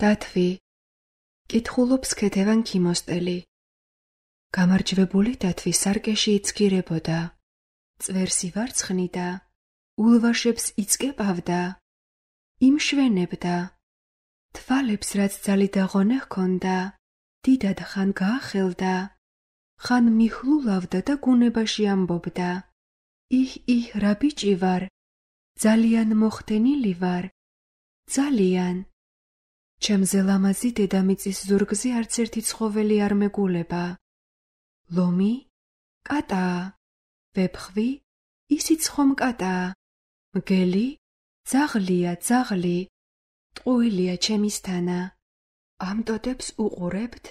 დათვი, კითხულობს ქეთევან ქიმოსტელი. გამარჯვებული დათვი სარკეში იცქირებოდა, წვერს ივარცხნიდა, ულვაშებს იცკებავდა, იმშვენებდა. თვალებს რაც ძალი დაღონე ჰქონდა, დიდად ხან გაახელდა, ხან მიხლულავდა და გუნებაში ამბობდა. იჰ, რა ბიჭი ვარ, ძალიან მოხდენილი ვარ, ძალიან. ჩემზე ლამაზი დედამიწის ზურგზე არც ერთი ცხოველი არ მეგულება. ლომი? კატაა. ვეფხვი? ისიც ხომ კატაა. მგელი? ძაღლია, ძაღლი. ტყუილია ჩემისთანა. ამ ტოტებს უყურებთ?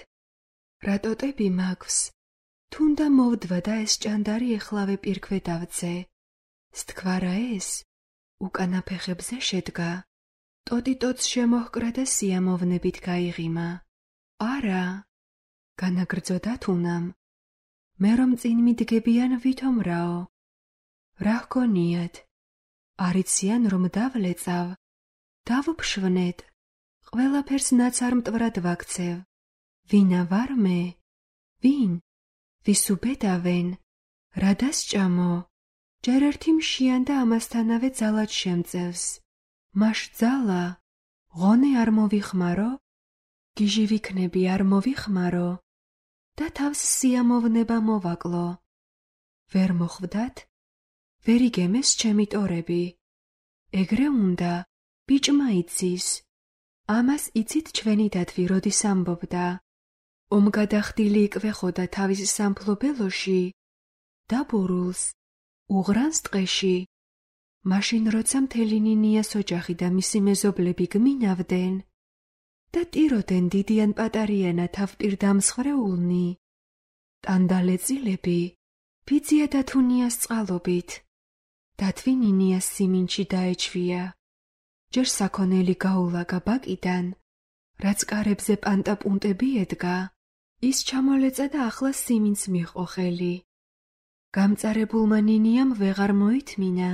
რა ტოტები მაქვს? თუნდა მოვდვა და ეს ჭანდარი ეხლავე პირქვე დავძე. სთქვარა ეს? უკანა ფეხებზე შედგა. ტოტი ტოტს შემოჰკრა და სიამოვნებით გაიღიმა. არა, განაგრძოდა თუნამ. მე რომ წინ მიდგებიან ვითომ რაო? რა ჰგონიათ? არიციან რომ დავლეწავ, დავფშვნეთ, ყველაფერს ნაცარ მტვრად ვაქცევ. ვინა ვარ მე? ვინ? ვის უბედავენ? რა დასჭამო? ჯერ ერთი მშიან და ამასთანავე ძალად შემწევს. მაშ ძალა, ღონე არ მოვიხმარო? გიჟი ვიქნები არ მოვიხმარო? და თავს სიამოვნება მოვაკლო. ვერ მოხვდათ? ვერ იგემეს ჩემი ტორები. ეგრე უნდა, ბიჭმა იცის. ამას იცით ჩვენი დათვი როდის ამბობდა. ომგადახდილი იკვეხოდა თავის სამფლობელოში, დაბურულს, უღრანს ტყეში. მაშინ როცა მთელი ნინიას ოჯახი და მისი მეზობლები გმინავდნენ და ტიროდნენ დიდიან პატარიანა თავპირ დამსხრეულნი, ტანდალეწილები, ბიძია დათუნიას წყალობით. დათვი ნინიას სიმინჩი დაეჩვია. ჯერ საქონელი გაულაგა ბაკიდან, რაც კარებზე პანტაპუნტები ედგა, ის ჩამოლეწა და ახლა სიმინს მიჰყო ხელი. გამწარებულმა ნინიამ ვეღარ მოითმინა.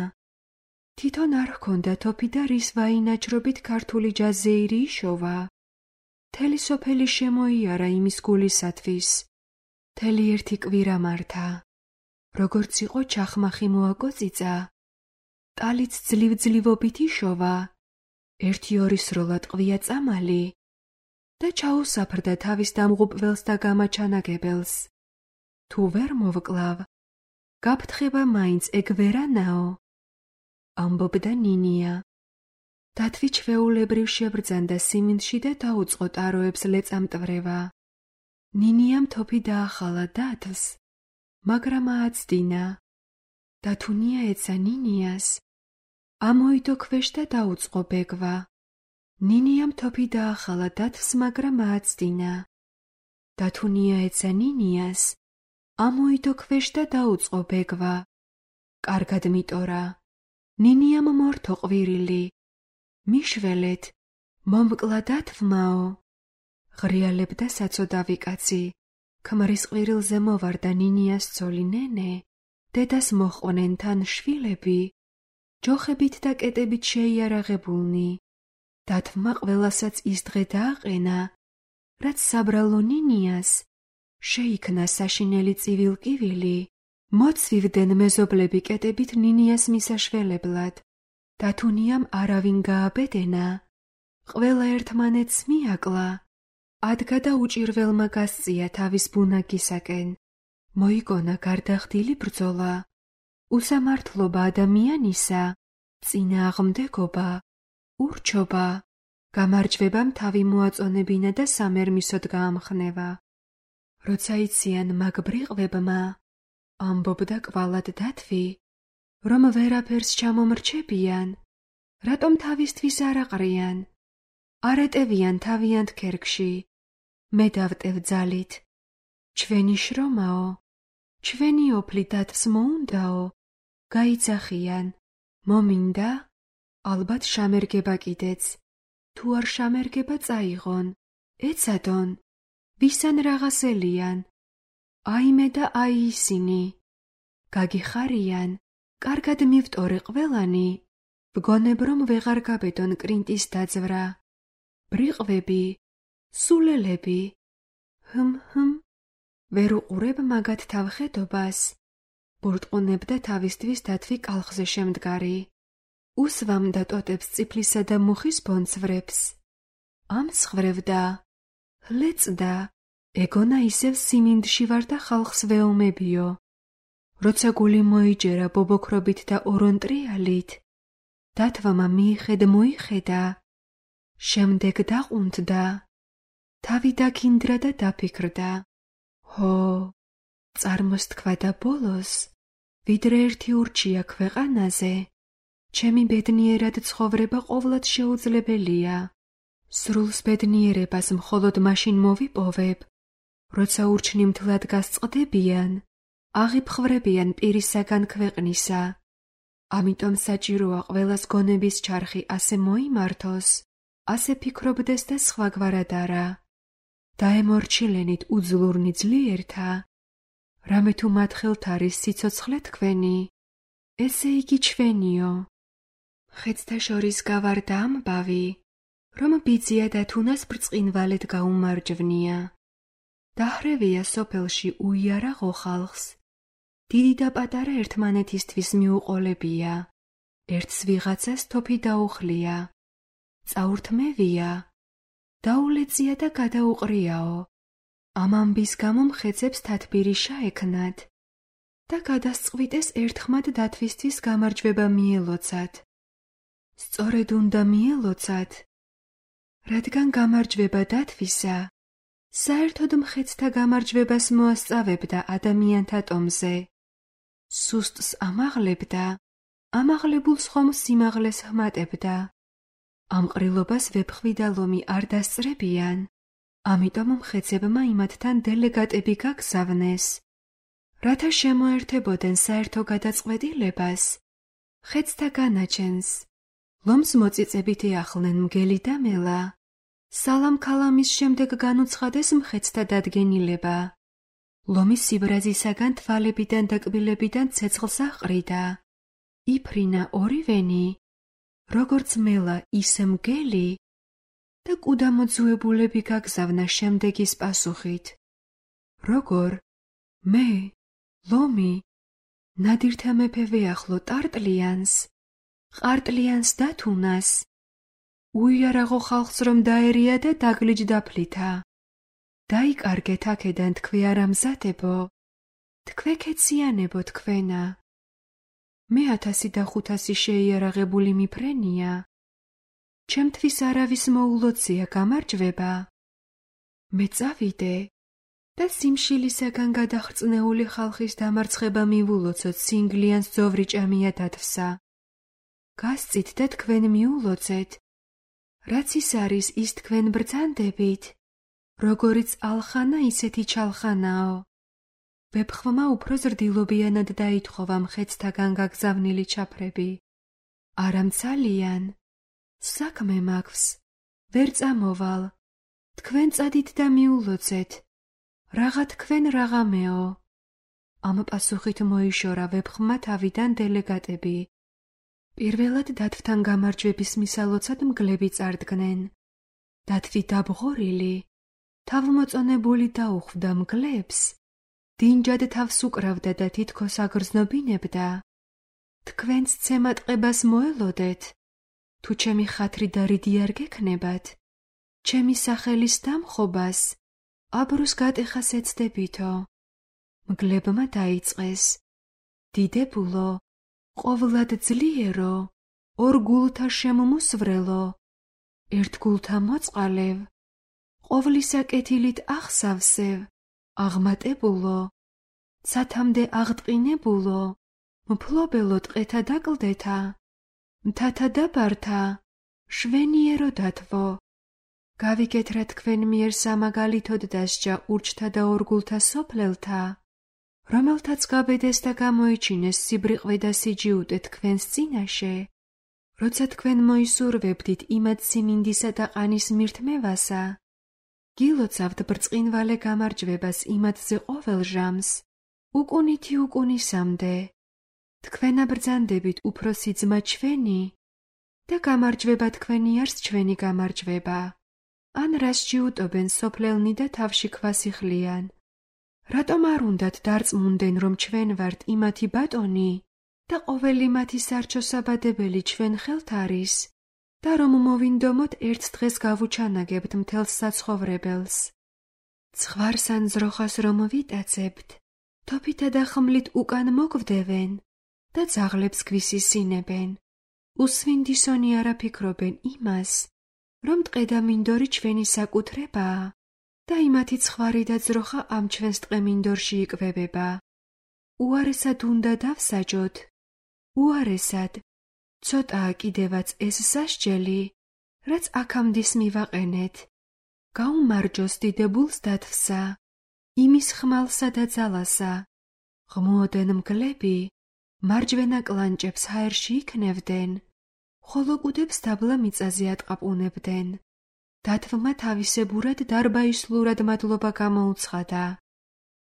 თვითონ არ ჰქონდა თოფი და რის ვაინაჭრობით ქართული ჯაზეირი იშოვა. მთელი სოფელი შემოიარა იმის გულისათვის. მთელი ერთი კვირა მართა. როგორც იყო ჩახმახი მოაკოწიწა. ტალიც ძლივ-ძლივობით იშოვა. 1-2 სროლა ტყვია წამალი და ჩაუსაფრდა თავის დამღუპველს და გამაჩანაგებელს. თუ ვერ მოვკლავ, გაფრთხება მაინც ეგ ვერანაო? ამბობდა ნინია. დათვი ჩვეულებრივ შებრძანდა სიმინდში და დაუწყო ტაროებს ლეწამტვრევა. ნინიამ თოფი დაახალა დათვს, მაგრამ ააცდინა. დათუნია ეცა ნინიას. ამოიდო ქვეშ და დაუწყო ბეგვა. ნინიამ თოფი დაახალა დათვს, მაგრამ ააცდინა. დათუნია ეცა ნინიას. ამოიდო ქვეშ და დაუწყო ბეგვა. კარგად მიტორა. ნინიამ მორთო ყვირილი. მიშველეთ, მომკლა დათვმაო. ღრიალებდა საცოდავი კაცი. ქმრის ყვირილზე მოვარდა ნინიას ცოლი ნენე. დედას მოჰყვნენ თან შვილები. ჯოხებით და კეტებით შეიარაღებულნი. დათვმა ყველასაც ის დღე დააყენა, რაც საბრალო ნინიას შეიქმნა საშინელი წივილკივილი. მოცვივდნენ მეზობლები კეტებით ნინიას მისაშველებლად. დათუნიამ არავინ გააბედენა. ყველა ერთმანეთს მიაკლა. ადგა და უჭირველმა გასწია თავის ბუნაგისაკენ. მოიგონა გარდახდილი ბრძოლა. უსამართლობა ადამიანისა, წინააღმდეგობა, ურჩობა, გამარჯვებამ თავი მოაწონებინა და სამერმისოდ გაამხნევა. როცა იციან მაგ ბრიყვებმა, ამბობდა კვალად დათვი, რომ ვერაფერს ჩამომრჩებიან, რატომ თავისთვის არ აყრიან, არ ეტევიან თავიანთ ქერქში. მე დავტევ ძალით. ჩვენი შრომაო, ჩვენი ოფლი დათვს მოუნდაო, გაიძახიან. მომინდა? ალბათ შამერგება კიდეც. თუ არ შამერგება წაიღონ, ეცადონ. ვისან რაღაცელიან. აიმე და აი ისინი. გაგიხარიან, კარგად მივტორე ყველანი. ვგონებ რომ ვეღარ გაბედონ კრინტის დაძვრა. ბრიყვები, სულელები. ჰმ, ვერ უყურებ მაგათ თავხედობას. ბურტყუნებდა თავისთვის დათვი კალხზე შემდგარი. უსვამ და ტოტებს წიფლისა და მუხის ბონცვრებს. ამსხვრევდა, ჰლეწდა, ეგონა ისევ სიმინდში ვარ და ხალხს ვეომებიო. როცა გული მოიჯერა ბობოქრობით და ორონტრიალით, დათვამა მოიხედა, შემდეგ დაყუნთდა, თავი დაქინდრა და დაფიქრდა. ჰო, წარმოსთქვა და ბოლოს, ვიდრე ერთი ურჩია ქვეყანაზე, ჩემი ბედნიერად ცხოვრება ყოვლად შეუძლებელია. სრულს ბედნიერებას მხოლოდ მაშინ მოვიპოვებ, როცა ურჩნიმთლად გასწყდებიან, აღიფხრებიან პირისაგან ქვეყნისა. ამიტომ საჭიროა ყველას გონების ჩარხი ასე მოიმართოს, ასე ფიქრობდეს და სხვაგვარად არა. დაემორჩილენით უძლურნი ძლიერთა, რამე თუ მათ ხელთ არის სიცოცხლე თქვენი, ესე იგი ჩვენიო. ხეცთა შორის გავარდა ამბავი, რომ ბიძია და თუნას ბრწყინვალედ გაუმარჯვნია. დაჰრევია სოფელში უიარაღო ხალხს. დიდი და პატარა ერთმანეთისთვის მიუყოლებია. ერთს ვიღაცას თოფი დაუხლია. წაურთმევია. დაულეწია და გადაუყრიაო. ამ ამბის გამო მხეცებს თათბირი შეექნათ და გადასწყვიტეს ერთხმად დათვისთვის გამარჯვება მიელოცათ. სწორედ უნდა მიელოცათ, რადგან გამარჯვება დათვისა საერთოდ მხეცთა გამარჯვებას მოასწავებდა ადამიანთა ტომზე. სუსტს ამაღლებდა, ამაღლებულს ხომ სიმაღლეს ჰმატებდა. ამ ყრილობას ვეფხვი და ლომი არ დასწრებიან, ამიტომ მხეცებმა იმათთან დელეგატები გაგზავნეს, რათა შემოერთებოდნენ საერთო გადაწყვეტილებას, ხეცთა განაჩენს. ლომს მოწიწებით ეახლნენ მგელი და მელა. სალამ-ქალამის შემდეგ განუცხადეს მხეცთა დადგენილება. ლომი სიბრაზისაგან თვალებიდან და კბილებიდან ცეცხლს აყრიდა. იფრინა ორივენი, როგორც მელა ისე მგელი და კუდამოძუებულები გაგზავნა შემდეგის პასუხით. როგორ? მე, ლომი, ნადირთა მეფე ვეახლო ტარტლიანს, ყარტლიანს და თუნას. უიარაღო ხალხს რომ დაერია და დაგლიჯდა ფლითა. დაიკარგეთ აქედან თქვი არამზადებო, თქვე ქეციანებო თქვენა. მე 1500 შეიარაღებული მიფრენია. ჩემთვის არავის მოულოცია გამარჯვება. მე წავიდე და სიმშილისაგან გადახრწნეული ხალხის დამარცხება მივულოცოთ სინგლიანს ძოვრი ჭამია დათვსა. გასწით და თქვენ მიულოცეთ, რაც ის არის ის თქვენ ბრძანდებით, როგორიც ალხანა ისეთი ჩალხანაო. ვეფხვმა უფრო ზრდილობიანად დაითხოვა მხეცთაგან გაგზავნილი ჩაფრები. არამცალიან, საქმე მაქვს, ვერ წამოვალ, თქვენ წადით და მიულოცეთ, რაღა თქვენ რაღაცეო. ამ პასუხით მოიშორა ვეფხმა თავიდან დელეგატები. პირველად დათვთან გამარჯვების მისალოცად მგლები წარდგნენ. დათვი დაბღორილი, თავმოწონებული დაუხვდა მგლებს, დინჯად თავს უკრავდა და თითქოს აგრძნობინებდა. თქვენს ცემატყებას მოელოდეთ, თუ ჩემი ხათრი და რიდი არ გექნებათ, ჩემი სახელის დამხობას აბრუს გატეხას ეცდებითო. მგლებმა დაიწყეს. დიდებულო, ყოვლად ძლიერო, ორ გულთა შემომუსვრელო, ერთ გულთა მოწყალევ, ყოვლისა კეთილით ახსავსევ, აღმატებულო, ცათამდე აღტყინებულო, მფლობელო ტყეთა დაკლდეთა, მთათა დაბართა, შვენიერო დათვო. გავიგეთ რა თქვენ მიერ სამაგალითოდ დასჯა ურჩთა და ორგულთა სოფლელთა, რომელთაც გაბედეს და გამოიჩინეს სიბრიყვე და სიჯიუტე თქვენს წინაშე, როცა თქვენ მოისურვებდით იმად სიმინდისა და ყანის მირთმევასა, გილოცავთ ბრწყინვალე გამარჯვებას იმადზე ყოველ ჟამს, უკუნითი უკუნისამდე. თქვენ აბრძანდებით უფროსი ძმა ჩვენი და გამარჯვება თქვენი არს ჩვენი გამარჯვება. ან რას ჯიუტობენ სოფლელნი და თავში ქვას იხლიან. რატომ არ უნდათ დარწმუნდნენ, რომ ჩვენ ვართ იმათი ბატონი და ყოველი მათი სარჩოსაბადებელი ჩვენ ხელთ არის და რომ მოვინდომოთ ერთ დღეს გავუჩანაგებთ მთელს საცხოვრებელს. ცხვარს ან ძროხას რომ ვიტაცებთ, თოფითა და ხმლით უკან მოგვდევენ და ძაღლებს გვისისინებენ. უსვინდისონი არა ფიქრობენ იმას, რომ ტყედამინდორი ჩვენი საკუთრებაა და იმათი ცხვარი და ძროხა ამ ჩვენს ტყემინდორში იკვებება. უარესად უნდა დავსაჯოთ, უარესად, ცოტაა კიდევაც ეს სასჯელი, რაც აქამდის მივაყენეთ. გაუმარჯოს დიდებულს დათვსა, იმის ხმალსა და ძალასა. ღმუოდენ მგლები, მარჯვენა კლანჭებს ჰაერში იქნევდნენ, ხოლო კუდებს დაბლა მიწაზე ატყაპუნებდნენ. დათვმა თავისებურად დარბაისლურად მადლობა გამოუცხადა.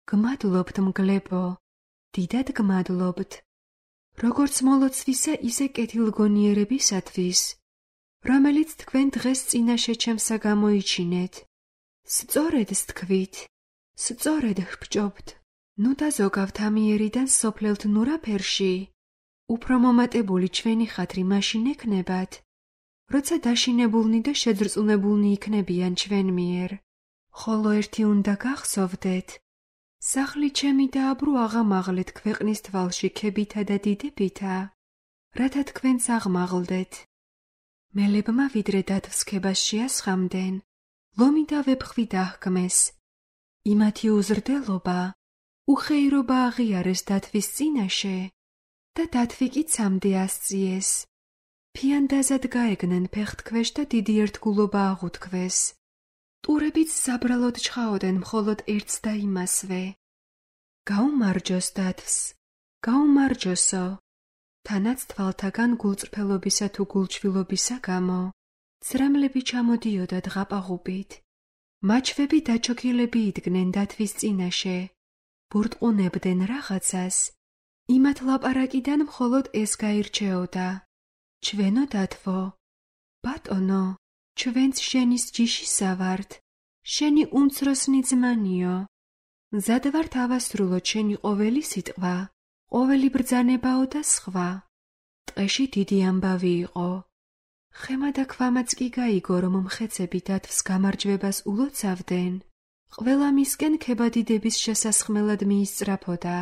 გმადლობთ მგლებო, დიდად გმადლობთ, როგორც მოლოცვისა, ისე კეთილგონიერებისათვის, რომელიც თქვენ დღეს წინაშე ჩემსა გამოიჩინეთ. სწორედ თქვით, სწორედ ვრბჯობთ. ნუ დაზოგავთ ამიერიდან სოფლელთ ნურაფერში, უფრო მომატებული ჩვენი ხათრი მაშინ ექნებათ, როცა დაშინებულნი და შეძრწუნებულნი იქნებიან ჩვენ მიერ. ხოლო ერთი უნდა გახსოვდეთ, სახლი ჩემი დააბრუ აღამაღლეთ ქვეყნის თვალში ქებითა და დიდებითა, რათა თქვენც აღმაღლდეთ. მელებმა ვიდრე დათვსქებას შეასხამდნენ, ლომი და ვეფხვი დაჰქმეს. იმათი უზრდელობა, უხეირობა აღიარეს დათვის წინაშე და დათვი კი ცამდე ასწიეს. ფიანდაზად გაეგნენ ფეხთქვეშ და დიდი ერთგულობა აღუთქვეს. ტურებიც საბრალოდ ჩხაოდენ მხოლოდ ერთს და იმასვე. გაუმარჯოს დათვს, გაუმარჯოსო, თანაც თვალთაგან გულწრფელობისა თუ გულჩვილობისა გამო ცრემლები ჩამოდიოდა დღაპაღუბით. მაჩვები დაჩოქილები იდგნენ დათვის წინაშე, ბურტყუნებდნენ რაღაცას, იმათ ლაპარაკიდან მხოლოდ ეს გაირჩეოდა. ჩვენო დათვო, ბატონო, ჩვენც შენის ჯიშისა ვართ, შენი უმცროსნი ძმანიო. მზად ვართ ავასრულოთ შენი ყოველი სიტყვა, ყოველი ბრძანებაო და სხვა. ტყეში დიდი ამბავი იყო. ხემა და ქვამაც კი გაიგო, რომ მხეცები დათვს გამარჯვებას ულოცავდნენ. ყველა მისკენ ქებადიდების შესასხმელად მიისწრაფოდა.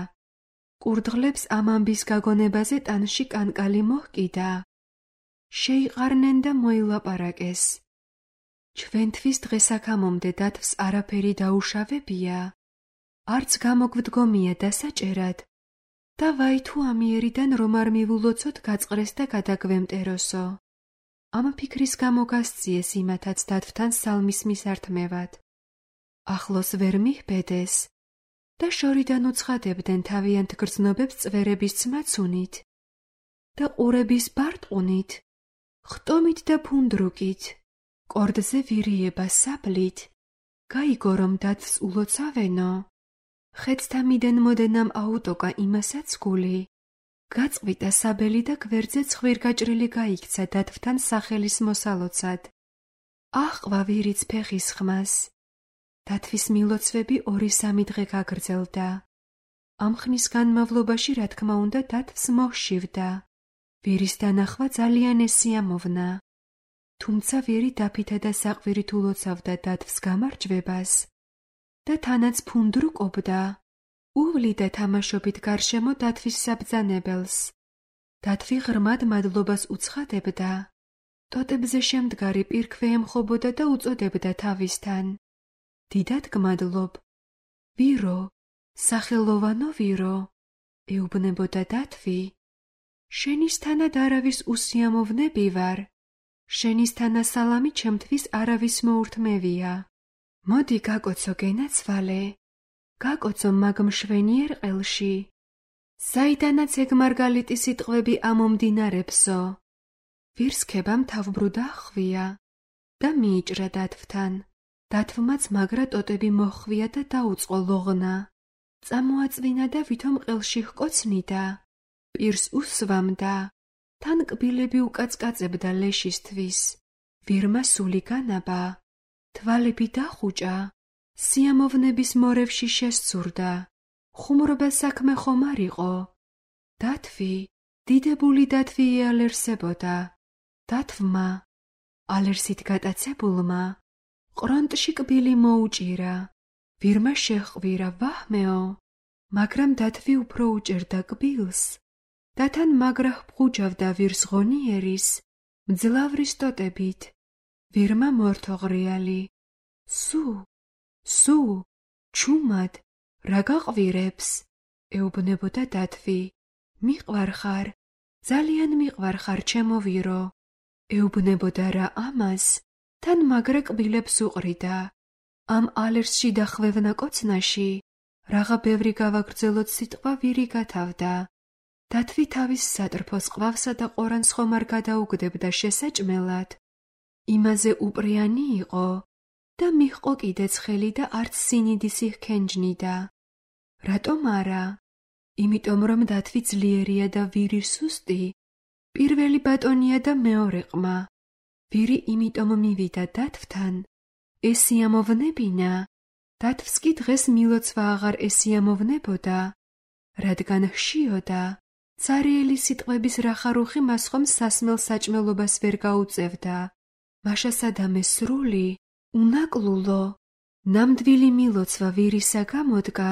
კურდღლებს ამ ამბის გაგონებაზე ტანში კანკალი მოჰკიდა. შეიყარნენ და მოილაპარაკეს. ჩვენთვის დღესაქამომდე დათვს არაფერი დაუშავებია, არც გამოგვდგომია დასაჭერად და ვაი თუ ამიერიდან რომ არ მივულოცოთ გაწყრეს და გადაგვემტეროსო. ამ ფიქრის გამო გასწიეს იმათაც დათვთან სალმის მისართმევად. ახლოს ვერ მიჰბედეს და შორიდან უცხადებდნენ თავიანთ გრძნობებს წვერების ცმაცუნით და ყურების ბარტყუნით, ხტომით და ფუნდრუკით, კორდზე ვირიება საბლით. გაიგო რომ დათვს ულოცავენო. ხეცთა მიდენ მოდენამ აუტოკა იმასაც გული. გაწყვიტა საბელი და გვერდზე ცხვირგაჭრილი გაიქცა დათვთან სახელის მოსალოცად. აჰყვა ვირიც ფეხის ხმას. დათვის მილოცვები 2-3 დღე გაგრძელდა. ამ ხნის განმავლობაში, რა თქმა უნდა, დათვს მოჰშივდა. ვირის დანახვა ძალიან ესიამოვნა. თუმცა ვირი დაფითა და საყვირით ულოცავდა დათვს გამარჯვებას და თანაც ფუნდრუკობდა. უვლიდა თამაშობით გარშემო დათვის საბრძანებელს. დათვი ღრმად მადლობას უცხადებდა. ტოტებზე შემდგარი პირქვე ემხობოდა და უწოდებდა თავისთან. დიდად გმადლობ, ვირო, სახელოვანო ვირო, ეუბნებოდა დათვი. შენისთანად არავის უსიამოვნები ვარ. შენისთანა სალამი ჩემთვის არავის მოურთმევია. მოდი გაკოცო გენაცვალე, გაკოცო მაგ მშვენიერ ყელში. საიდანაც ეგ მარგალიტი სიტყვები ამომდინარებსო. ვირსქებამ თავბრუდა ხვია და მიიჭრა დათვთან. დათვმაც მაგრა ტოტები მოჰხვია და დაუწყო ლოღნა. წამოაწვინა და ვითომ ყელში ჰკოცნიდა. პირს უსვამდა. თან კბილები უკაცკაწებდა ლეშისთვის. ვირმა სული განაბა. თვალები დახუჭა, სიამოვნების მორევში შესცურდა. ხუმრობა საქმე ხომ არ იყო? დათვი, დიდებული დათვი იალერსებოდა. დათვმა, ალერსით გატაცებულმა, ყრონტში კბილი მოუჭირა. ვირმა შეჰყვირა, ვაჰმეო, მაგრამ დათვი უფრო უჭერდა კბილს და თან მაგრა ჰფუჭავდა ვირს ღონიერის, მძლავრის ტოტებით. ვირმა მორთოღრიალი. სუ, ჩუმად, რა გაყვირებს? ეუბნებოდა დათვი. მიყვარხარ, ძალიან მიყვარხარ, ჩემო ვირო. ეუბნებოდა რა ამას, თან მაგრა კბილებს უყრიდა. ამ ალერსში და ხვევნა კოცნაში რაღა ბევრი გავაგრძელოთ სიტყვა ვირი გათავდა. დათვი თავის სატრფოს ყვავსა და ყორანს ხომ არ გადაუგდებდა შესაჭმელად. იმაზე უპრიანი იყო და მიჰყო კიდეც ხელი და არც სინიდის იჰქენჯნიდა. რატომ არა? იმიტომ რომ დათვი ძლიერია და ვირი სუსტი. პირველი ბატონია და მეორე ყმა. ვირი იმიტომ მივიდა დათვთან, ესიამოვნებინა. დათვს კი დღეს მილოცვა აღარ ესიამოვნებოდა, რადგან ჰშიოდა. ცარიელი სიტყვების რახარუხი მას ხომ სასმელ საჭმელობას ვერ გაუწევდა. მაშასადამე სრული, უნაკლულო, ნამდვილი მილოცვა ვირისა გამოდგა,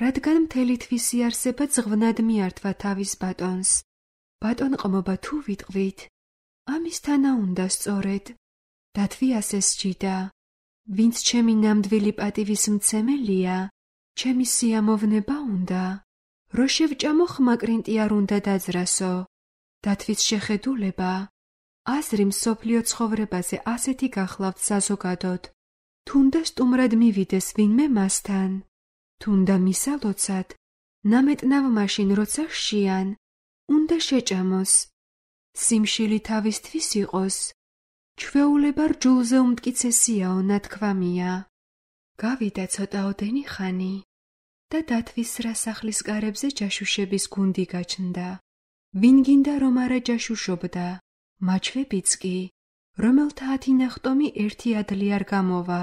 რადგან მთელი თვისი არსება ძღვნად მიართვა თავის ბატონს. ბატონყმობა თუ ვიტყვით, ამის თანა უნდა სწორედ. დათვი ასე სჯიდა. ვინც ჩემი ნამდვილი პატივის მცემელია, ჩემი სიამოვნება უნდა. რო შევჭამო ხმაკრინტი არ უნდა დაძრასო. დათვის შეხედულება, აზრი მსოფლიო ცხოვრებაზე ასეთი გახლავთ საზოგადოდ. თუნდა სტუმრად მივიდეს ვინმე მასთან, თუნდა მისალოცად, ნამეტნავ მაშინ როცა ჰშიან, უნდა შეჭამოს. სიმშილი თავისთვის იყოს, ჩვეულება რჯულზე უმტკიცესიაო ნათქვამია. გავიდა ცოტაოდენი ხანი და დათვის სასახლის კარებზე ჯაშუშების გუნდი გაჩნდა. ვინ გინდა რომ არა ჯაშუშობდა, მაჩვებიც კი, რომელთა 10 ნახტომი ერთი ადლი არ გამოვა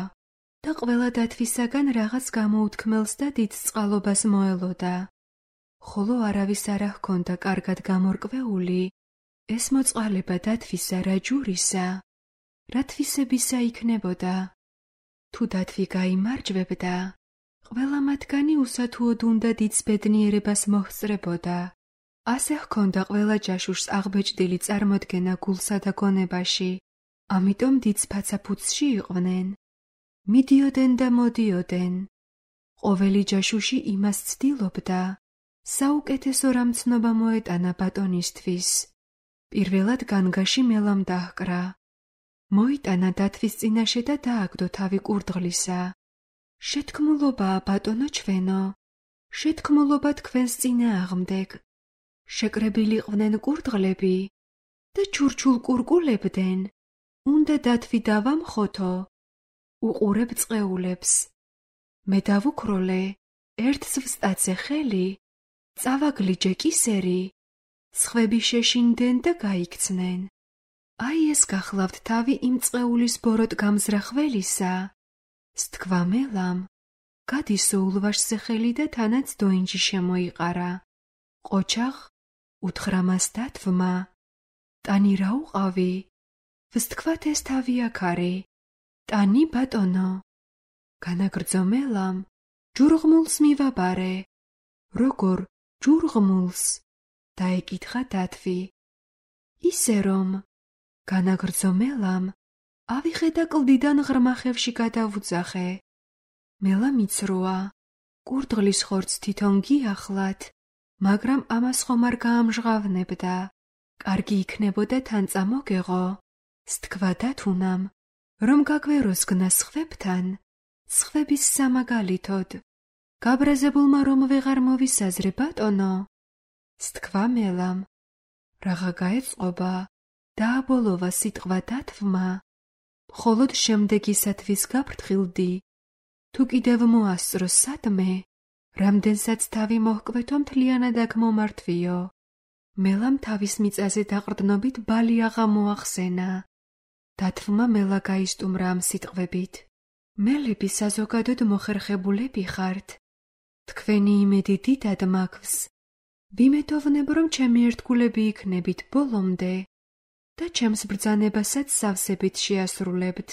და ყველა დათვისაგან რაღაც გამოუთქმელს და დიდ წყალობას მოელოდა. ხოლო არავის არ ჰქონდა კარგად გამორკვეული ეს მოწყალება დათვისა რა ჯურისა, რა თვისებისა იქნებოდა. თუ დათვი გაიმარჯვებდა, ყველა მათგანი უსათუოდ უნდა დიდს ბედნიერებას მოჰსწრებოდა. ასე ჰქონდა ყველა ჯაშუშს აღბეჭდილი წარმოდგენა გულსა და გონებაში, ამიტომ დიდს ფაცაფუცში იყვნენ. მიდიოდნენ და მოდიოდნენ. ყოველი ჯაშუში იმას ცდილობდა, საუკეთესო რამცნობა მოეტანა ბატონისთვის. პირველად განგაში მელამ დაჰკრა. მოიტანა დათვის წინაშე და დააგდო თავი კურდღლისა. შეთქმულობაა ბატონო ჩვენო, შეთქმულობა თქვენს წინააღმდეგ. შეკრებილი ყვნენ კურდღლები და ჩურჩულ კურკულებდნენ. უნდა დათვი დავამხოთო, უყურებ წყეულებს. მე დავუქროლე, ერთს ვსტაცე ხელი, წავაგლიჯე კისერი, სხვები შეშინდნენ და გაიქცნენ. აი ეს გახლავთ თავი იმ წყეულის ბოროტ გამზრახველისა. სთქვა მელამ, გადისო ულვაშზე ხელი და თანაც დოინჯი შემოიყარა. ყოჩაღ, უთხრა მას დათვმა, ტანი რა უყავი? ვსთქვათ ეს თავი აქარი. ტანი ბატონო. განაგრძო მელამ, ჯურღმულს მივაბარე. როგორ ჯურღმულს? დაეკითხა დათვი. ისე რომ, განაგრძო მელამ, ავიხე და კლდიდან ღრმახევში გადავუძახე. მელა მიცროა, კურდღლის ხორცს თვითონ გიახლათ, მაგრამ ამას ხომ არ გაამჟღავნებდა. კარგი იქნებოდა თან წამოგეღო. სთქვა დათუნამ, რომ გაგვეროსგნა სხვებთან, სხვების სამაგალითოდ. გაბრაზებულმა რომ ვეღარ მოვისაზრე ბატონო. სთქვა მელამ, რაღა გაეწყობა, დააბოლოვა სიტყვა დათვმა. მხოლოდ შემდეგისათვის გაფრთხილდი. თუ კიდევ მოასწრო სადმე, რამდენსაც თავი მოჰკვეთო მთლიანად აქ მომართვიო. მელამ თავის მიწაზე დაყრდნობით ბალი აღა მოახსენა. დათვმა მელა გაისტუმრა ამ სიტყვებით. მელები საზოგადოდ მოხერხებულები ხართ. თქვენი იმედი დიდად მაქვს. ვიმედოვნებ, რომ ჩემი ერთგულები იქნებით ბოლომდე და ჩემს ბრძანებასაც სავსებით შეასრულებთ.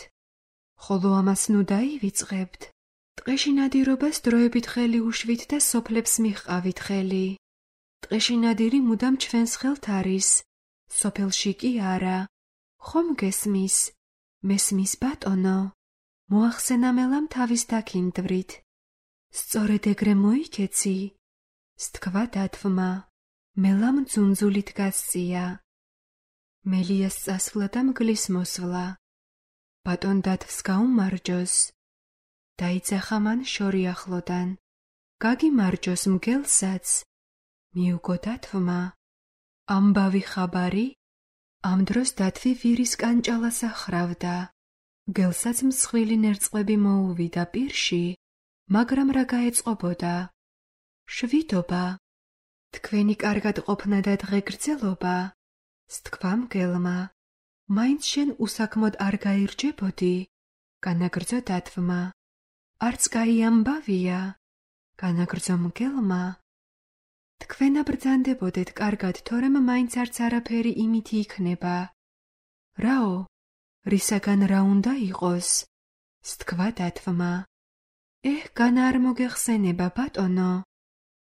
ხოლო ამას ნუ დაივიწყებთ. ტყეში ნადირობას დროებით ხელი უშვით და სოფლებს მიჰყავით ხელი. ტყეში ნადირი მუდამ ჩვენს ხელთ არის, სოფელში კი არა. ხომ გესმის? მესმის ბატონო? მოახსენა მელამ თავის დაქინდვრით. სწორედ ეგრე მოიქეცი? სთქვა დათვმა. მელამ ძუნძულით გასწია. მელიას წასვლა და მგლის მოსვლა. ბატონ დათვს გაუმარჯოს. დაიძახა მან შორი ახლოდან. გაგიმარჯოს მგელსაც. მიუგო დათვმა. ამბავი ხაბარი? ამ დროს დათვი ვირის კანჭალას ახრავდა. მგელსაც მსხვილი ნერწყვები მოუვიდა პირში, მაგრამ რა გაეწყობოდა? შვიდობა. თქვენი კარგად ყოფნა და დღეგრძელობა. სთქვა მგელმა. მაინც შენ უსაქმოდ არ გაირჯებოდი? განაგრძო დათვმა. არც კაი ამბავია? განაგრძო მგელმა. თქვენა ბრძანდებოდეთ კარგად, თორემ მაინც არც არაფერი იმითი იქნება. რაო? რისაგან რა უნდა იყოს? სთქვა დათვმა. განა არ მოგეხსენება, ბატონო.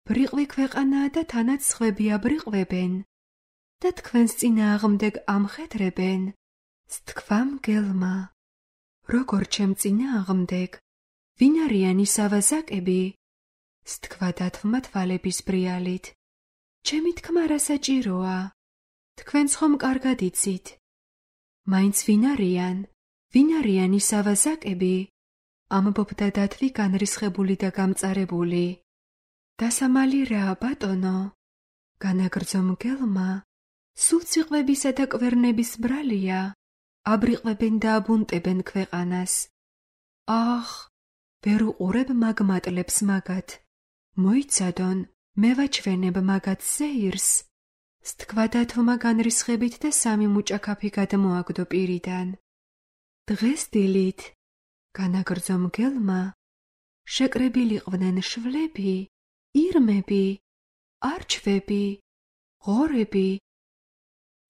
ბრიყვი ქვეყანაა და თანაც სხვები აბრიყვებენ და თქვენს წინააღმდეგ ამხედრებენ. სთქვა მგელმა. როგორ ჩემ წინააღმდეგ? ვინ არიან ის ავაზაკები? სთქვა დათვმა თვალების ბრიალით. ჩემი თქმა რა საჭიროა? თქვენც ხომ კარგად იცით. მაინც ვინ არიან? ვინ არიან ის ავაზაკები? ამბობდა დათვი განრისხებული და გამწარებული. დასამალი რა, ბატონო? განაგრძო მგელმა. სულ ციყვებისა და კვერნების ბრალია. აბრიყვებენ და აბუნტებენ ქვეყანას. ახ, ვერ უყურებ მაგ მატლებს მაგათ. მოიცადონ, მე ვაჩვენებ მაგათ ზეირს. სთქვა დათვმა განრისხებით და სამი მუჭაქაფი გადმოაგდო პირიდან. დღეს დილით, განაგრძო მგელმა, შეკრებილიყვნენ შვლები, ირმები, არჩვები, ღორები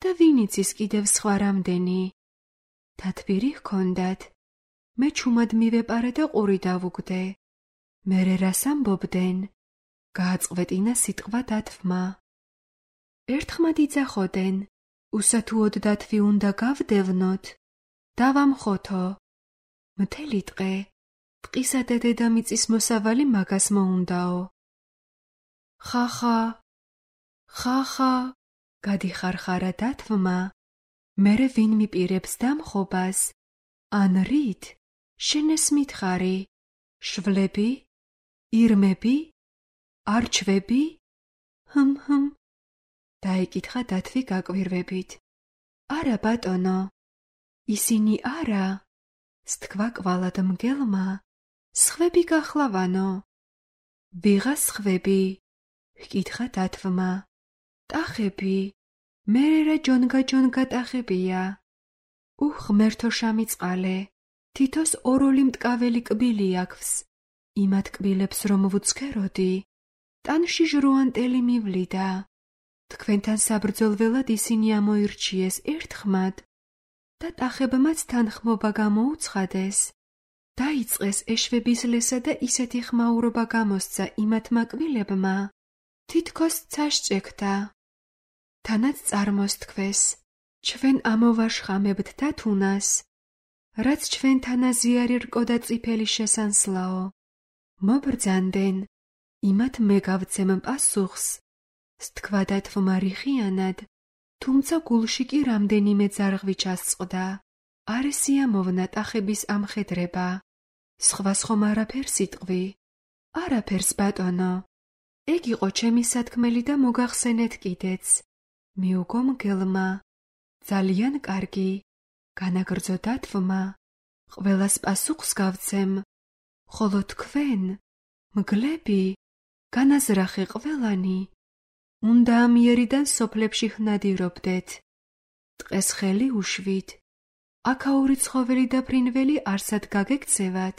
და ვინ იცის კიდევ სხვა რამდენი. დათვირი ჰქონდათ. მე ჩუმად მივეპარე და ყური დავუგდე. მერე რას ამბობდნენ? გააწყვეტინა სიტყვა დათვმა. ერთხმად იძახოდნენ, უსათუოდ დათვი უნდა გავდევნოთ. დავამხოთო. მთელი ტყე, ტყისა და დედამიწის მოსავალი მაგას მოუნდაო. ხახა, ხახა, გადიხარხარა დათვმა. მერე ვინ მიპირებს დამხობას? ან რით? შენეს მითხარი. შვლები? ირმები? არჩვები? ჰმ. დაიკითხა დათვი გაკვირვებით. არა, ბატონო. ისინი არა. სთქვა კვალად მგელმა. სხვები გახლავანო. ვიღა სხვები? ჰკითხა დათვმა. ტახები. მერე რა ჯონგა ტახებია. ღმერთო შამიწყალე, თითოს ოროლი მტკაველი კბილი აქვს. იმათ კბილებს რომ ვუცქეროდი, ტანში ჟრუანტელი მივლიდა. თქვენთან საბრძოლველად ისინი ამოირჩიეს ერთხმად და ტახებმაც თანხმობა გამოუცხადეს. დაიწყეს ეშვებისლესა და ისეთი ხმაურობა გამოსცა იმათმა კბილებმა, თითქოს ცაშჭექდა. თანაც წარმოსთქვეს, ჩვენ ამოვაშხამებთ დათუნას, რაც ჩვენთან აზიარი რკო და წიფელი შესანსლაო. მობრძანდნენ, იმათ მე გავცემ პასუხს. სთქვა დათვმა რიხიანად, თუმცა გულში კი რამდენიმე ძარღვი ჩასწყდა. არ ესიამოვნა ტახების ამხედრება. სხვას ხომ არაფერს იტყვი? არაფერს, ბატონო. ეგ იყო ჩემი სათქმელი და მოგახსენეთ კიდეც. მიუგო მგელმა. ძალიან კარგი, განაგრძო დათვმა. ყველას პასუხს გავცემ, ხოლო თქვენ, მგლები, განაზრახე ყველანი. უნდა ამიერიდან სოფლებში ვნადირობდეთ. ტყეს ხელი უშვით, აქაური ცხოველი და ფრინველი არსად გაგექცევათ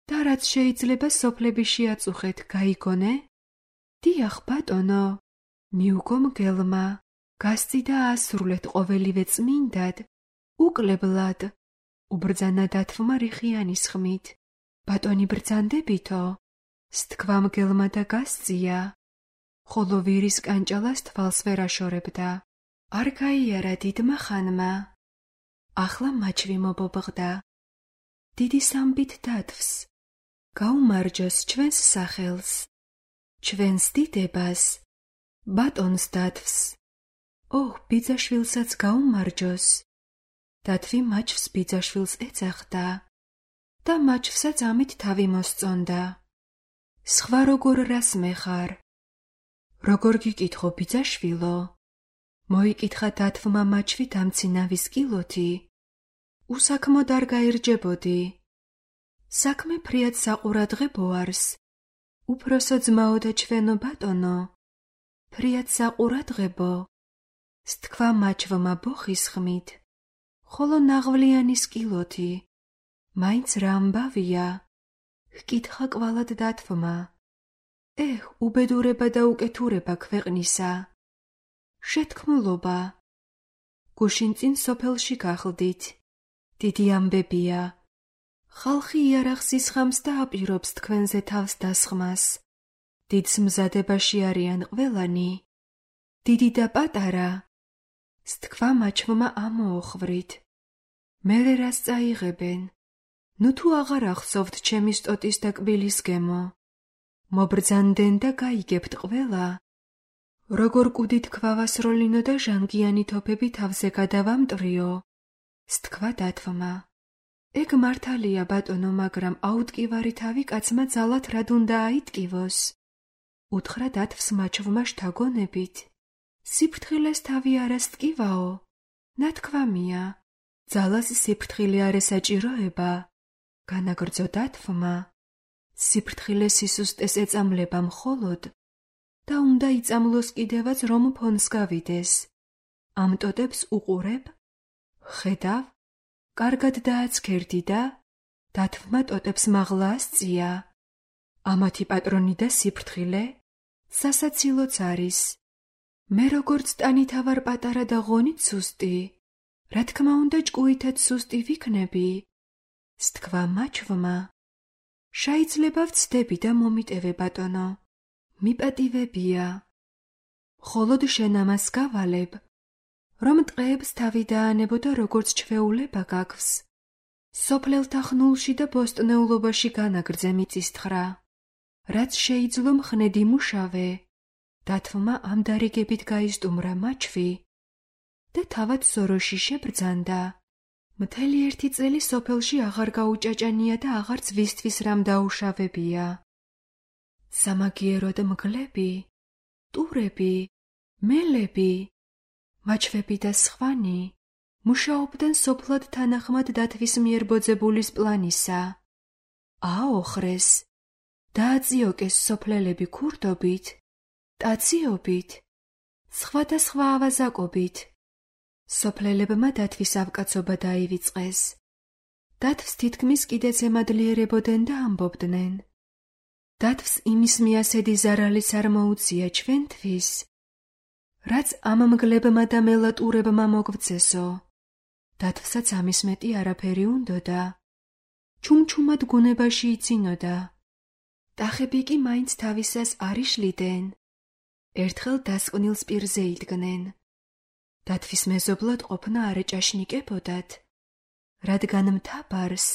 და რაც შეიძლება სოფლები შეაწუხეთ, გაიგონე? დიახ, ბატონო, მიუგო მგელმა, გასწიდა ასრულეთ ყოველივე წმინდად, უკლებლად, უბრძანა დათვმა რიხიანის ხმით. ბატონი ბრძანდებითო? სთქვა მგელმა და გასწია, ხოლო ვირის კანჭალას თვალს ვერ აშორებდა. არ გაიარა დიდმა ხანმა. ახლა მაჩვი მობობღდა. დიდი სამბით დათვს, გაუმარჯოს ჩვენს სახელს, ჩვენს დიდებას, ბატონს დათვს. ოჰ, ბიძაშვილსაც გაუმარჯოს. დათვი მაჩვს ბიძაშვილს ეძახდა და მაჩვსაც ამით თავი მოსწონდა. სხვა როგორ რას მეხარ? როგორ გიკითხო ბიძაშვილო? მოიკითხა დათვმა მაჩვი დამცინავის კილოთი. უსაქმოდ არ გაირჯებოდი. საქმე ფრიად საყურადღებო არს. უფროსო ძმაო და ჩვენო ბატონო, ფრიად საყურადღებო. სთქვა მაჩვმა ბოხის ხმით, ხოლო ნაღვლიანის კილოთი. მაინც რა ამბავია? ჰკითხა კვალად დათვმა. უბედურება და უკეთურება ქვეყნისა. შეთქმულობა. გუშინ წინ სოფელში გახლდით. დიდი ამბებია. ხალხი იარაღს ისხამს და აპირობს თქვენზე თავს დასხმას. დიდს მზადებაში არიან ყველანი, დიდი და პატარა. სთქვა მაჩვმა ამოოხვვრით. მერე რას წაიღებენ? ნუ თუ აღარ ახსოვთ ჩემი სტოტის და კბილის გემო. მობრძანდენ და გაიგებთ ყველა. როგორ კუდით ქვავასროლინო და ჟანგიანი თოფები თავზე გადავამტრიო. სთქვა დათვმა. ეგ მართალია ბატონო, მაგრამ აუტკივარი თავი კაცმა ძალად რად უნდა აიტკივოს? უთხრა დათვს მაჩვმა შთაგონებით. სიფრთხილეს თავი არა სტკივაო? ნათქვამია, ძალას სიფრთხილე არ ესაჭიროება. განაგრძო დათვმა. სიფრთხილე სისუსტეს ეწამლება მხოლოდ და უნდა იწამლოს კიდევაც რომ ფონს გავიდეს. ამ ტოტებს უყურებ? ხედავ? კარგად დააცქერდი და დათვმა ტოტებს მაღლა ასწია. ამათი პატრონი და სიფრთხილე სასაცილოც არის. მე როგორც ტანითა ვარ პატარა და ღონით სუსტი, რა თქმა უნდა ჭკუითაც სუსტი ვიქნები. სთქვა მაჩვმა. შეიძლება ვცდები და მომიტევე ბატონო, მიპატივებია. მხოლოდ შენ ამას გავალებ, რომ ტყეებს თავი დაანებო და როგორც ჩვეულება გაქვს. სოფლელთა ხნულში და ბოსტნეულობაში განაგრძე მიწისთხრა. რაც შეიძლო მხნედი მუშავე. დათვმა ამ დარიგებით გაისტუმრა მაჩვი და თავად სოროში შებრძანდა. მთელი 1 წელი სოფელში აღარ გაუჭაჭანია და აღარც ვისთვის რამ დაუშავებია. სამაგიეროდ მგლები, ტურები, მელები, მაჩვები და სხვანი მუშაობდნენ სოფლად თანახმად დათვის მიერ ბოძებულის პლანისა. აოხრეს, დააწიოკეს სოფლელები ქურდობით, ტაციობით, სხვადასხვა ავაზაკობით. სოფლელებმა დათვის ავკაცობა დაივიწყეს. დათვს თითქმის კიდეც ემადლიერებოდნენ და ამბობდნენ. დათვს იმის მიასედი ზარალის არ მოუწია ჩვენთვის, რაც ამ მგლებმა და მელატურებმა მოგვწესო. დათვსაც ამის მეტი არაფერი უნდოდა. ჩუმჩუმად გუნებაში იცინოდა. ტახები კი მაინც თავისას არ იშლიდნენ. ერთხელ დასკვნილს პირზე იდგნენ. დათვის მეზობლად ყოფნა არ ეჭაშნიკებოდათ, რადგან მთა-ბარს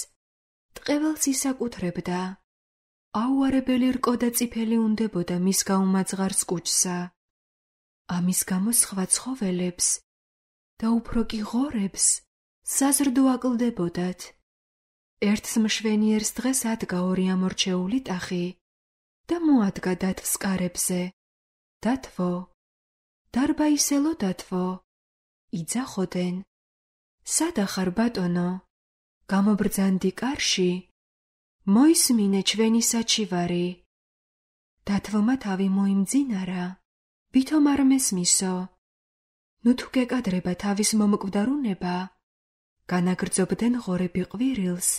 ტყეველს ისაკუთრებდა. აუარებელი რკო და წიფელი უნდებოდა მის გაუმაძღარს კუჭსა. ამის გამო სხვა ცხოველებს და უფრო კი ღორებს საზრდო აკლდებოდათ. ერთს მშვენიერს დღეს ადგა 2 ამორჩეული ტახი და მოადგა დათვს კარებზე. დათვო, დარბაისელო დათვო, იძახოდენ. სადახარ ბატონო? გამობრძანდი კარში? მოისმინე ჩვენი საჩივარი. დათვმა თავი მოიმძინარა. ვითომ არ მესმისო? ნუ თუ გეკადრება თავის მომკვდარუნება, განაგრძობდნენ ღორები ყვირილს,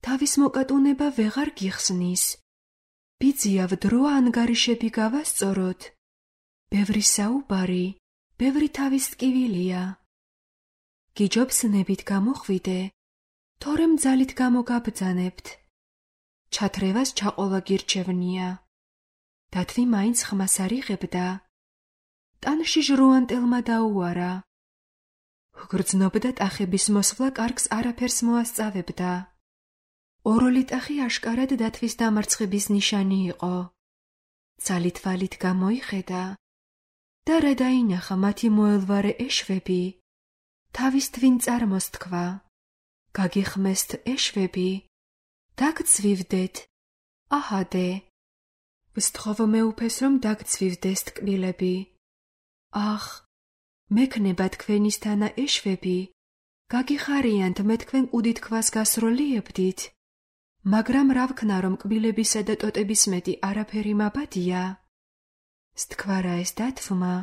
თავის მოკატუნება ვეღარ გიხსნის. ბიძიავ დრო ანგარიშები გავასწოროთ. ბევრი საუბარი, ბევრი თავის ტკივილია. გიჯობსნებით გამოხვიდე, თორემ ძალით გამოგაბრძანებთ. ჩათრევას ჩაყოლა გირჩევნია. დათვი მაინც ხმას არ იღებდა. ტანში ჟრუანტელმა დაუარა. გრძნობდა ტახების მოსვლა კარგს არაფერს მოასწავებდა. ოროლი ტახი აშკარად დათვის დამარცხების ნიშანი იყო. ძალით-ვალით გამოიხედა და რა დაინახა მათი მოელვარე ეშვები. თავის თვინ წარმოსთქვა. გაგიხმესთ ეშვები, დაგცვივდეთ, აჰადე. ვსთხოვ მეუფეს, რომ დაგცვივდეს ტკბილები. ახ, მექნება თქვენისთანა ეშვები, გაგიხარიანთ მე თქვენ კუდითქვას გასროლიებდით, მაგრამ რა ვქნა, რომ კბილებისა და ტოტების მეტი არაფერი მაბადია? სთქვარა ეს დათვმა.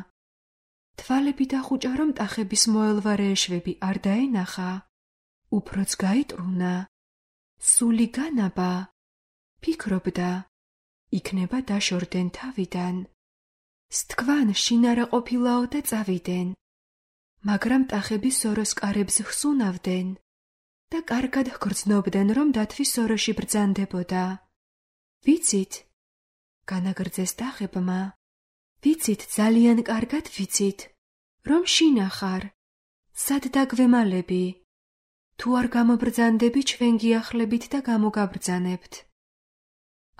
თვალები დახუჭა, რომ ტახების მოელვარე ეშვები არ დაენახა. უფროც გაიტრუნა. სული განაბა. ფიქრობდა, იქნება დაშორდნენ თავიდან. სთქვან შინარა ყოფილაო და წავიდნენ. მაგრამ ტახები სოროს კარებს ხსუნავდნენ და კარგად ჰგრძნობდნენ, რომ დათვი სოროში ბრძანდებოდა. ვიცით, განაგრძეს ტახებმა. ვიცით, ძალიან კარგად ვიცით, რომ შინახარ, სად დაგვემალები. თუ არ გამობრძანდები, ჩვენ გიახლებით და გამოგაბრძანებთ.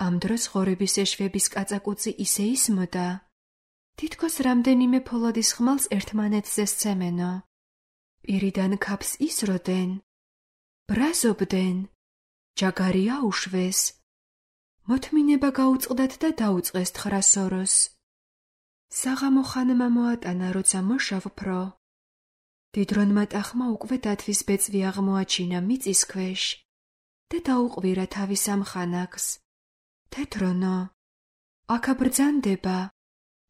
ამ დროს ღორების ეშვების კაწაკუცი ისე ისმოდა, თითქოს რამდენიმე ფოლადის ხმალს ერთმანეთზე სცემენო. პირიდან ქაფს ისროდნენ, ბრაზობდნენ, ჯაგარი აუშვეს. მოთმინება გაუწყდათ და დაუწყეს თხრა სოროს. საღამო ხანმა მოატანა, როცა მოშავფრო. დიდრონმა ტახმა უკვე დათვის ბეწვი აღმოაჩინა მიწის ქვეშ და დაუყვირა თავის ამ ხანაკს. თეთრონო, აქ აბრძანდება,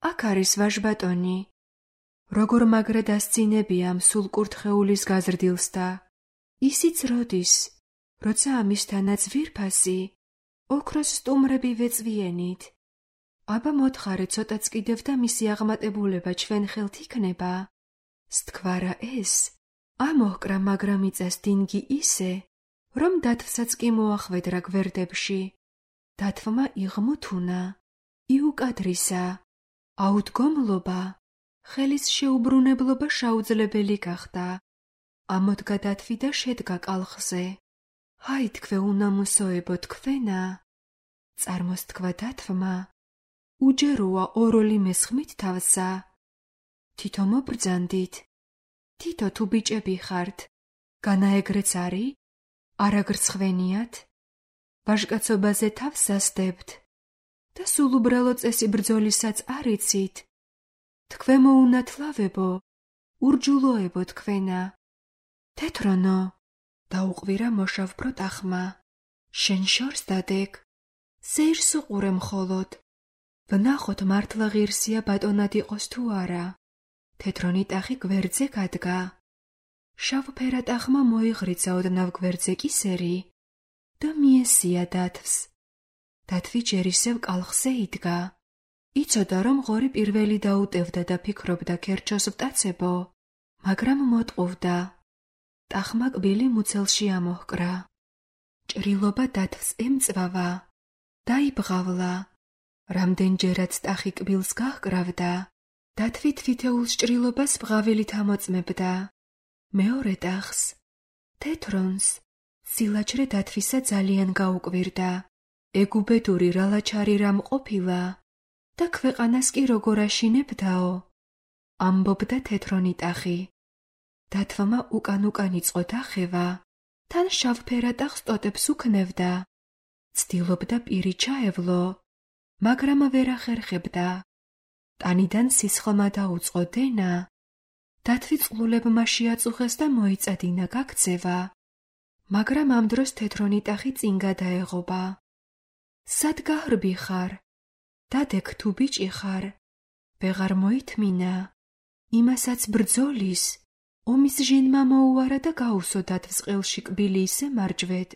აქ არის ვაჟბატონი. როგორ მაგრა დასცინებია ამ სულ კურთხეულის გაზრდილს და ისიც როდის, როცა ამისთანაც ვირფასი, ოქროს სტუმრები ვეწვიენით. აბა მოთხარე ცოტაც კიდევ და მისი აღმატებულება ჩვენ ხელთ იქნება. სთქვარა ეს, ამოჰკრა, მაგრამ იწეს დინგი ისე, რომ დათვსაც კი მოახვედრა გვერდებში. დათვმა იღმუთუნა, იუკადრისა, აუდგომლობა, ხელის შეუბრუნებლობა შეუძლებელი გახდა. ამოდგა დათვი და შედგა კალხზე. ჰაი თქვე უნამუსოებო თქვენა, წარმოსთქვა დათვმა. უჯეროა ოროლი მესხმით თავსა. თითო მობრძანდით. თითო თუ ბიჭები ხართ, განაეგრეც არის, არაგრცხვენიათ. ვაჟკაცობაზე თავს სასდებთ და სულ უბრალო წესი ბრძოლისაც არ იცით. თქვენ მოუნათლავებო, ურჯულოებო თქვენა. თეთრონო, დაუყვირა მოშავფრო ტახმა. შენ შორს დადეგ, ზეირს უყურე მხოლოდ. ვნახოთ მართლა ღირსია ბატონად იყოს თუ არა. თეთრონი ტახი გვერდზე გადგა. შავფერა ტახმა მოიღრიცა ოდნავ გვერდზე კისერი და მიესია დათვს. დათვი ჯერ ისევ კალხზე იდგა. იცოდა, რომ ღორი პირველი დაუტევდა და ფიქრობდა ქერჩოს ვტაცებო, მაგრამ მოტყუვდა. ტახმა კბილი მუცელში ამოჰკრა. ჭრილობა დათვს ემწვავა. დაიბღავლა. რამდენჯერაც ტახი კბილს გაჰკრავდა, დათვი თვითეულს ჭრილობას ბღავილით ამოწმებდა. მეორე ტახს, თეთრონს, სილაჯრე დათვისა ძალიან გაუკვირდა. ეგუბედური რალაჩარი რამ ყოფილა და ქვეყანას კი როგორ აშინებდაო, ამბობდა თეთრონი ტახი. დათვმა უკან-უკან იწყო დახევა, თან შავფერა ტახს ტოტებს უქნევდა. ცდილობდა პირი ჩაევლო, მაგრამ ვერ ახერხებდა. ტანიდან სისხლმა დაუწყო დენა. დათვი წყლულებმა შეაწუხეს და მოიწადინა გაქცევა. მაგრამ ამ დროს თეთრონი ტახი წინ გადაეღობა. სად გაჰრბი ხარ? დადეგ თუ ბიჭი ხარ? ვეღარ მოითმინა. იმასაც ბრძოლის, ომის ჟინმა მოუარა და გაუსო დათვს ყელში კბილი ისე მარჯვედ.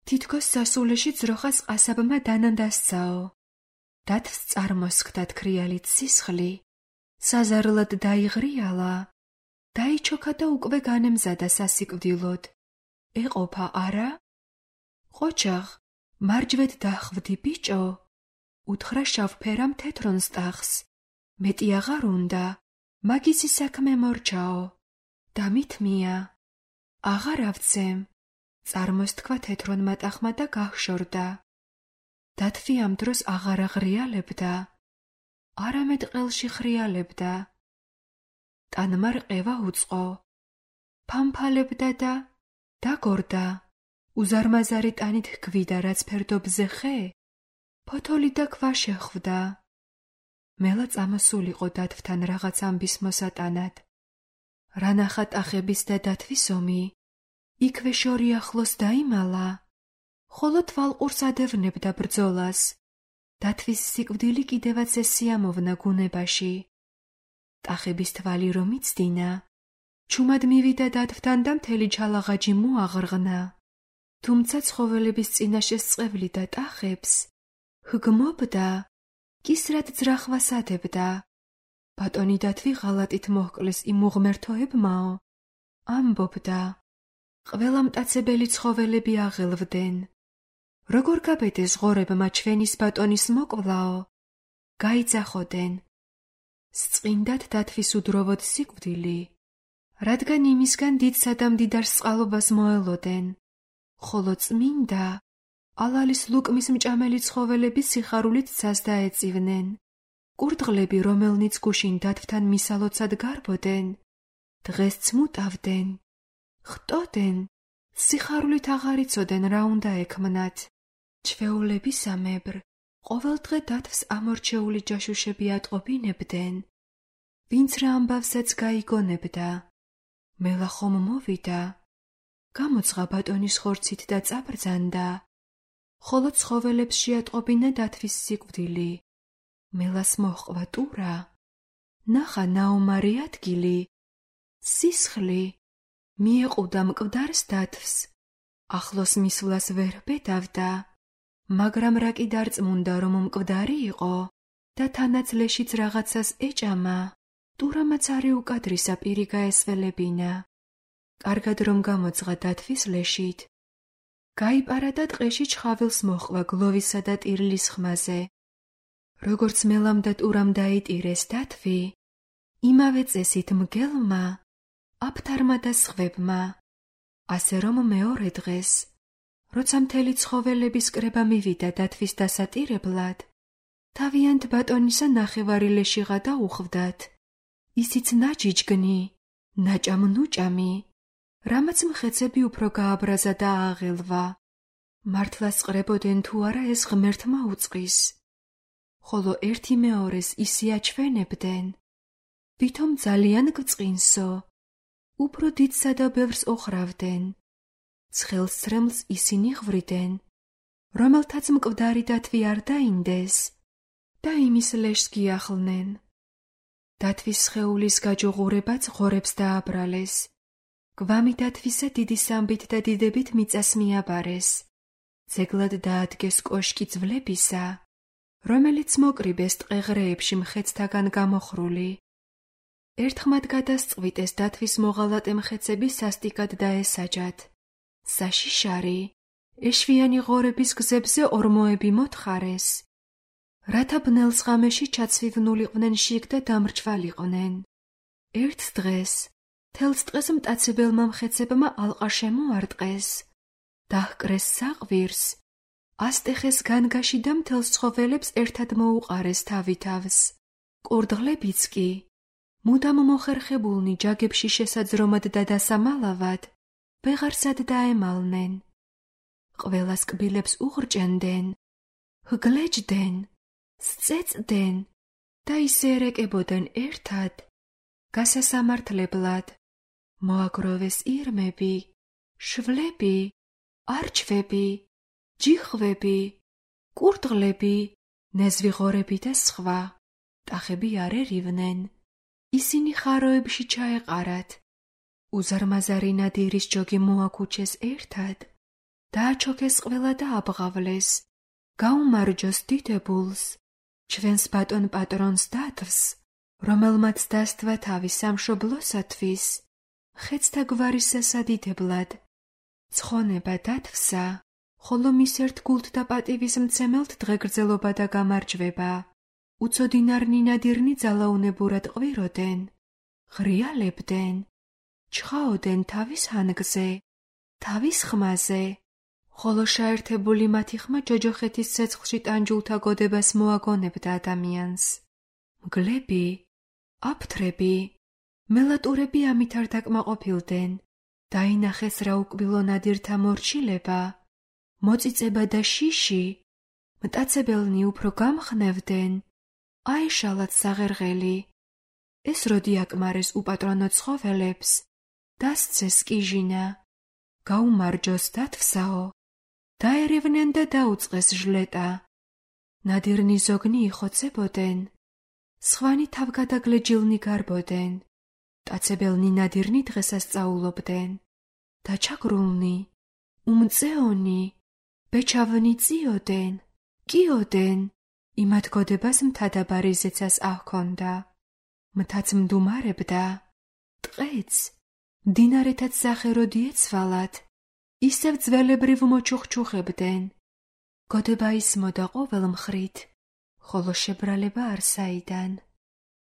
თითქოს სასულეში ძროხას ყასაბმა დანანდასცაო. დათვს წარმოსხდა თქრიალით სისხლი, საზარლად დაიღრიალა, დაიჩოქა და უკვე განემზადა სასიკვდილოდ. ეყოფა არა? ყოჩაღ, მარჯვედ დახვდი ბიჭო, უთხრა შავფერამ თეთრონ სტახს. მეტი აღარ უნდა, მაგისი საქმე მორჩაო. დამითმია. აღარ ავცემ. წარმოსთქვა თეთრონ მატახმა და გახშორდა. დათვი ამ დროს აღარ აღრიალებდა, არამედ ყელში ხრიალებდა. ტანმა რყევა უწყო. ფამფალებდა და დაგორდა. უზარმაზარი ტანით ჰქვიდა რაც ფერდობზე ხე, ფოთოლი და ქვა შეხვდა. მელა წამოსულიყო დათვთან რაღაც ამბის მოსატანად. რა ნახა ტახების და დათვის ომი, იქვე შორი ახლოს დაიმალა, ხოლო თვალყურს ადევნებდა ბრძოლას. დათვის სიკვდილი კიდევაც ესიამოვნა გუნებაში. ტახების თვალი რომ იცდინა, ჩუმად მივიდა დათვთან და მთელი ჩალაღაჯი მოაღრღნა. თუმცა ცხოველების წინაშე სწევლიდა ტახებს, ჰგმობდა, კისრად ძრახვას ადებდა. ბატონი დათვი ღალატით მოჰკლეს იმ უღმერთოებმაო, ამბობდა, ყველა მტაცებელი ცხოველები აღელვდნენ. როგორ გაბედეს ღორებმა ჩვენის ბატონის მოკლაო, გაიძახოდნენ. სწყინდათ დათვის უდროვოდ სიკვდილი, რადგან იმისგან დიდსა და მდიდარ სწყალობას მოელოდნენ, ხოლო წმინდა ალალის ლუკმის მჭამელი ცხოველები სიხარულით ცას დაეწივნენ. კურდღლები, რომელნიც გუშინ დათვთან მისალოცად გარბოდნენ, დღეს ცმუტავდნენ, ხტოდნენ, სიხარულით აღარ იცოდნენ რა უნდა ექმნათ. ჩვეულებისამებრ, ყოველდღე დათვს ამორჩეული ჯაშუშები ატყობინებდნენ, ვინც რა ამბავსაც გაიგონებდა. მელა ხომ მოვიდა, გამოძღა ბატონის ხორცით და წაბრძანდა, ხოლო ცხოველებს შეატყობინა დათვის სიკვდილი. მელას მოჰყვა ტურა, ნახა ნაომარი ადგილი, სისხლი, მიეყუდა მკვდარს დათვს, ახლოს მისვლას ვერ ბედავდა, მაგრამ რა კი დარწმუნდა რომ მკვდარი იყო და თანაც ლეშიც რაღაცას ეჭამა, ტურამაც არი უკადრისა პირი გაესველებინა. კარგად რომ გამოძღა დათვის ლეშით, გაიპარა და ტყეში ჩხავილს მოჰყვა გლოვისა და ტირილის ხმაზე. როგორც მელამ და ტურამ დაიტირეს დათვი, იმავე წესით მგელმა, აფთარმა და სხვებმა. ასე რომ მეორე დღეს, როცა მთელი ცხოველების კრება მივიდა დათვის დასატირებლად, თავიანთ ბატონისა ნახევარი ლეშიღა დაუხვდათ. ისიც ნაჯიჯგნი, ნაჭამ-ნუჭამი, რამაც მხეცები უფრო გააბრაზა და ააღელვა. მართლა სყრებოდნენ თუ არა ეს ღმერთმა უწყის. ხოლო ერთი მეორეს ისე აჩვენებდნენ, ვითომ ძალიან გწყინსო, უფრო დიდსა და ბევრს ოხრავდნენ. ცხელ სრემლს ისინი ღვვრიდან, რომელთაც მკვდარი დათვი არ დაინდეს და იმის ლეშს გიახლნენ. დათვის სხეულის გაჯუღურებაც ღორებს დააბრალეს. გვამი დათვისა დიდი სამბით და დიდებით მიწას მიაბარეს. ძეგლად დაადგეს კოშკი ძვლებისა, რომელიც მოკრიბეს ტყეღრეებში მხეცთაგან გამოხრული. ერთხმად გადასწყვიტეს დათვის მოღალატე მხეცები სასტიკად დაესაჯათ. საშიშარი, ეშვიანი ღორების გზებზე ორმოები მოთხარეს, რათა ბნელს ღამეში ჩაცვივნულიყვნენ შიგ და დამრჩვალიყვნენ. ერთ დღეს, თელს ტყეს მტაცებელმა მხეცებმა ალყა შემოარტყეს, დაჰკრეს საყვირს, ასტეხეს განგაში და მთელს ცხოველებს ერთად მოუყარეს თავი-თავს. კურდღლებიც კი, მუდამ მოხერხებულნი ჯაგებში შესაძრომად და დასამალავად, ვეღარსად დაემალნენ. ყველას კბილებს უღრჭენდნენ, ჰგლეჯდნენ, სწეწდნენ და ისე ერეკებოდნენ ერთად, გასასამართლებლად. მოაგროვეს ირმები, შვლები, არჩვები, ჯიხვები, კურდღლები, ნეзвიღორები და სხვა. ტახები არ ერივნენ, ისინი ხაროებში ჩაეყარათ, უზარმაზარი ნადირის ჯოგი მოაქუჩეს ერთად, დააჩოქეს ყველა და აბღავლეს, გაუმარჯოს დიდებულს, ჩვენს ბატონ პატრონს დათვს, რომელმაც დასთვა თავის სამშობლოსათვის, ხეცთა გვარის სასადიდებლად. ცხონება დათვსა, ხოლო მის ერთ გულთ და პატივის მცემელთ დღეგრძელობა და გამარჯვება. უცოდინარნი ნადირნი ძალაუნებურად ყვიროდენ, ღრიალებდნენ, ჩხაოდენ თავის ჰანგზე, თავის ხმაზე, ხოლო შეერთებული მათი ხმა ჯოჯოხეთის ცეცხლში ტანჯულთა გოდებას მოაგონებდა ადამიანს. მგლები, აფთრები, მელატურები ამით არ დაკმაყოფილდნენ. დაინახეს რა უკბილო ნადირთა მორჩილება, მოწიწება და შიში, მტაცებელნი უფრო გამხნევდნენ, აეშალათ საღერღელი. ეს როდი აკმარეს უპატრონო ცხოველებს, დასცეს კიჟინა, გაუმარჯოს დათვსაო, დაერევნენ და დაუწყეს ჟლეტა. ნადირნი ზოგნი იხოცებოდენ, სხვანი თავგადაგლეჯილნი გარბოდენ. მტაცებელნი ნადირნი დღესასწაულობდნენ. დაჩაგრულნი, უმწეონი, ბეჩავნი წიოდენ, კიოდენ, იმათ გოდებას მთადაბარი ზეცას აჰქონდა. მთაც მდუმარებდა, ტყეც, მდინარეთაც სახეროდი ეცვალათ, ისევ ძველებრივ მოჩუხჩუხებდნენ. გოდება ისმოდა ყოველ მხრით, ხოლო შებრალება არ საიდან.